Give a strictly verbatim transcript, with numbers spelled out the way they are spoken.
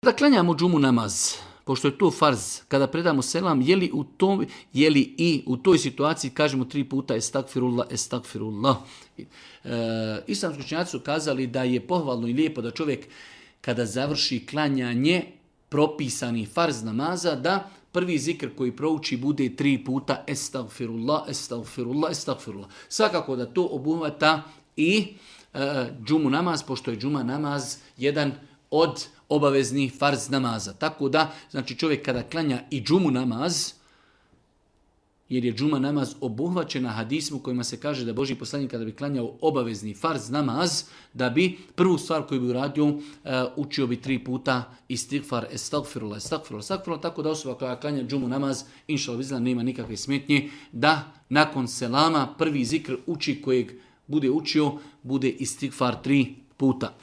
Da klanjamo džumu namaz, pošto je to farz, kada predamo selam, je li, u tom, je li i u toj situaciji kažemo tri puta estakfirullah, estakfirullah. E, islamski učenjaci su kazali da je pohvalno i lijepo da čovjek kada završi klanjanje propisani farz namaza, da prvi zikr koji prouči bude tri puta estagfirullah, estagfirullah, estagfirullah. Svakako da to obuhvata i e, džumu namaz, pošto je džuma namaz jedan od obaveznih farz namaza. Tako da, znači čovjek kada klanja i džumu namaz, jer je džuma namaz obuhvaćena hadismu kojima se kaže da Božji poslanik kada bi klanjao obavezni farz namaz, da bi prvu stvar koju bi uradio, uh, učio bi tri puta istighfar, estagfirullah, estagfirullah, estagfirullah, tako da osoba koja klanja džumu namaz, inša Allah, nema nikakve smetnje, da nakon selama prvi zikr uči kojeg bude učio, bude istighfar tri puta.